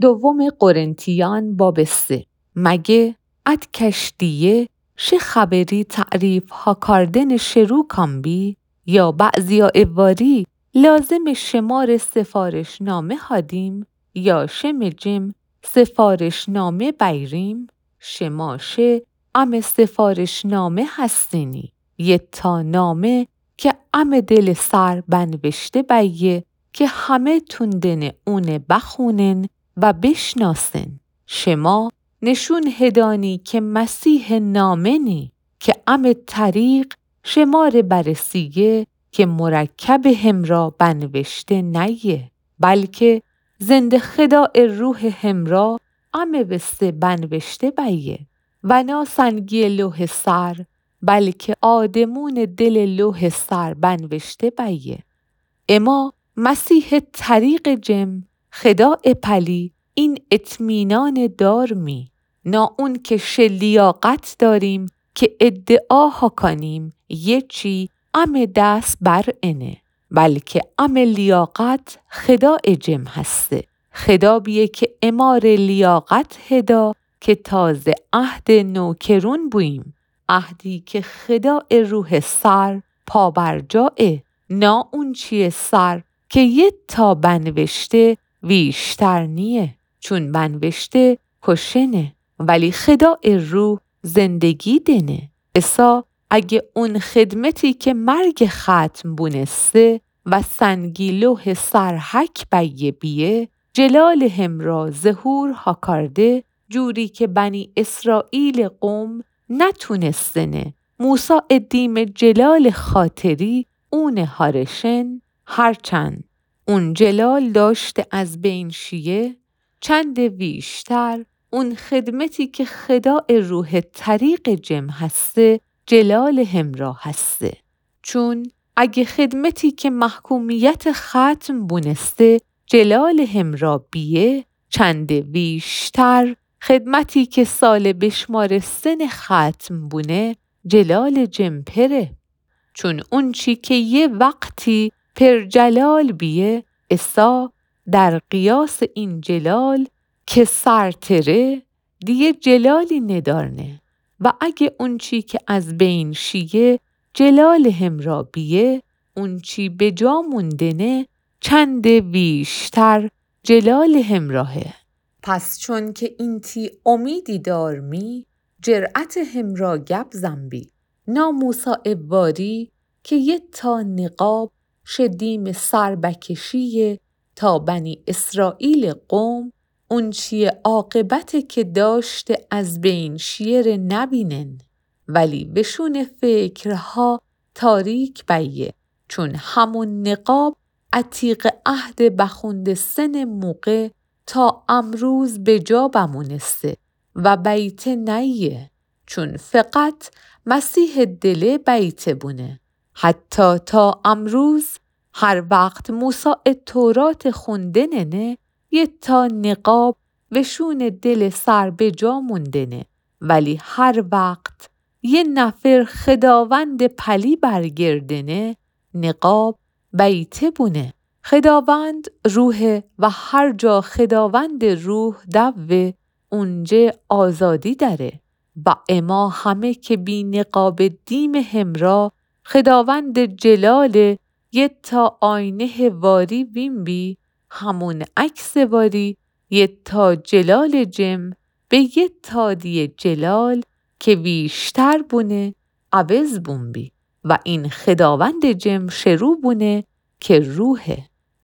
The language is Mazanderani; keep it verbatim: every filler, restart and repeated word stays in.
دوم قرنتیان باب سه. مگه اد کشتیه شه خبری تعریف هاکاردن شروع کانبی؟ یا بعضیا ا واری لازم شمار سفارشنامه هادیم یا شم جم سفارشنامه بیریم؟ شما شه ام سفارشنامه هستینی، یه تا نامه که ام دل سر بنوشته بیه که همه توندن اون بخونن و بشناسن. شما نشون هدانی که مسیح نامنی که ام طریق شمار برسیه که مرکب همرا بنوشته نیه، بلکه زنده خدا روح همرا ام وسته بنوشته بیه. و نا سنگی لوح سر، بلکه آدمون دل لوح سر بنوشته بیه. اما مسیح طریق جم خدا پلی این اطمینان دارمی، نا اون که شه لیاقت داریم که ادعا هاکانیم یه چی ام دست بر انه، بلکه ام لیاقت خدا جم هسته. خدا بیه که امار لیاقت هدا که تازه عهد نوکرون بوییم، عهدی که خدا روح سر پابرجاه، نا اونچی سر که یه تا بنوشته ویشتر نیه، چون بنوشته کشنه، ولی خدا روح زندگی دنه. اسا اگه اون خدمتی که مرگ ختم بونسته و سنگی لوح سر حک بیه بیه، جلال همرا ظهور هاکارده، جوری که بنی اسرائیل قوم نتونستنه موسی دیم جلال خاطری اون هارشن، هرچند اون جلال داشته از بین شیه، چند ویشتر اون خدمتی که خدا روح طریق جم هسته، جلال همرا هسته. چون اگه خدمتی که محکومیت ختم بونسته جلال همرا بیه، چند ویشتر خدمتی که سال بشمارستن ختم بونه جلال جمپره. چون اونچی که یه وقتی پر جلال بیه، اسا در قیاس این جلال که سرتره، دیه جلالی ندارنه. و اگه اونچی که از بین شیه جلال همرا بیه، اونچی بجا موندنه چند ویشتر جلال همراهه. پس چون که اینتی امیدی دارمی، جرأت همرا گپ زنبی. نا موسی واری که یه تا نقاب شه دیم سر بکشیه تا بنی اسرائیل قوم اونچی عاقبت که داشته از بین شیه ره نبینن، ولی وشون فکرها تاریک بیه، چون همون نقاب عتیق عهد بخوندستن موقع تا امروز بجا بمونسته و بیته نیه، چون فقط مسیح دله بیته بونه. حتی تا امروز هر وقت موسی تورات خوندننه، یه تا نقاب وشون دل سر بجا موندنه، ولی هر وقت یه نفر خداوند پلی برگردنه، نقاب بیته بونه. خداوند روحه و هر جا خداوند روح دوه، اونجه آزادی داره. و اما همه که بی نقاب دیم همرا خداوند جلال یه تا آینه واری وین بی، همون عکس واری یه تا جلال جم به یه تا دیه جلال که ویشتر بونه عوض بون بی. و این خداوند جم شروع بونه که روحه.